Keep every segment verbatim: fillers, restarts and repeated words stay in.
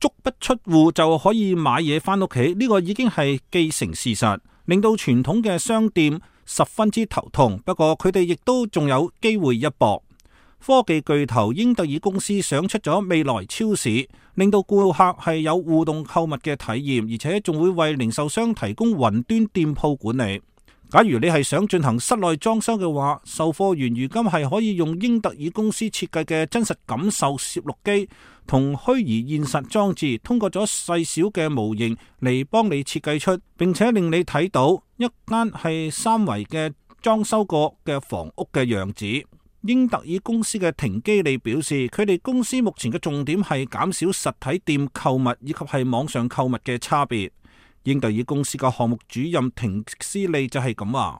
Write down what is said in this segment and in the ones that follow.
足不出戶就可以買嘢返屋企，呢個已經係既成事實，令到傳統嘅商店十分之頭痛。不過佢哋亦都仲有機會一搏。科技巨頭英特爾公司想出咗未來超市，令到顧客係有互動購物嘅體驗，而且仲會為零售商提供雲端店鋪管理。假如你係想進行室內裝修嘅話，售貨員如今係可以用英特爾公司設計嘅真實感受攝錄機同虛擬現實裝置，通過咗細小嘅模型嚟幫你設計出，並且令你睇到一間係三維嘅裝修過嘅房屋嘅樣子。英特爾公司嘅廷基利表示，佢哋公司目前嘅重點係減少實體店購物以及係網上購物嘅差別。英特爾公司嘅項目主任廷斯利就係咁話。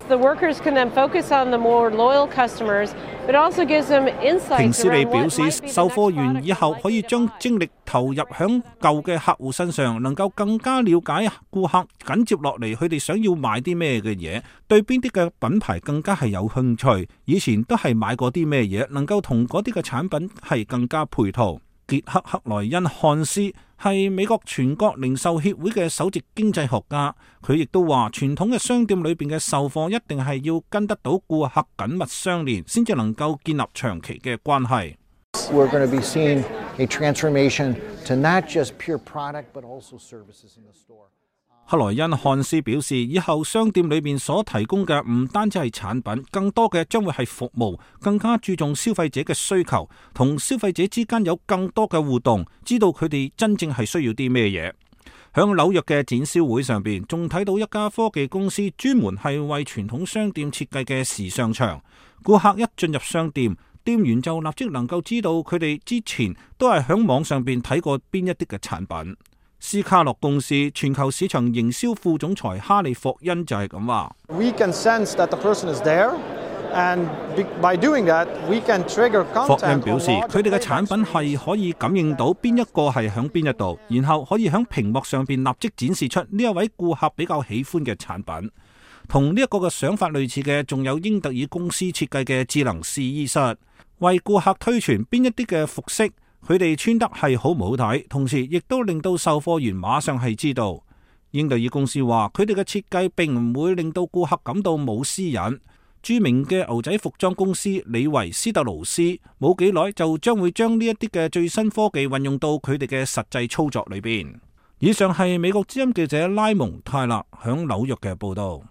廷斯利表示，售貨員以後可以將精力投入響舊嘅客戶身上，能夠更加了解顧客緊接落嚟佢哋想要買啲咩嘅嘢，對邊啲嘅品牌更加係有興趣，以前都係買過啲咩嘢，能夠同嗰啲嘅產品係更加配套。傑克克萊恩漢斯係美國全國零售協會嘅首席經濟學家，佢亦都話傳統嘅商店裏邊嘅售貨一定係要跟得到顧客緊密相連，先至能夠建立長期嘅關係。We're going to be seeing a transformation to not just pure product, but also services in the store. 克萊恩漢斯表示，以後商店裏面所提供嘅唔單止係產品，更多嘅將會係服務，更加注重消費者嘅需求，同消費者之間有更多嘅互動，知道佢哋真正係需要啲咩嘢。響紐約嘅展銷會上邊，仲睇到一家科技公司專門係為傳統商店設計嘅時尚場。顧客一進入商店，店員就立即能夠知道佢哋之前都係響網上邊睇過邊一啲嘅產品。斯卡洛公司全球市場營銷副總裁哈利霍恩就係咁話。We can sense that the person is there, and by doing that, we can trigger content. 霍恩表示，佢哋嘅產品係可以感應到邊一個係響邊一度，然後可以響屏幕上邊立即展示出呢一位顧客比較喜歡嘅產品。同呢一個嘅想法類似嘅，仲有英特爾公司設計嘅智能試衣室，為顧客推傳邊一啲嘅服飾佢哋穿得係好唔好睇，同時亦都令到售貨員馬上係知道。英特爾公司話，佢哋嘅設計並唔會令到顧客感到冇私隱。著名嘅牛仔服裝公司李維斯特勞斯冇幾耐就將會將呢一啲嘅最新科技運用到佢哋嘅實際操作裏邊。以上係美國之音記者拉蒙泰勒響紐約嘅報道。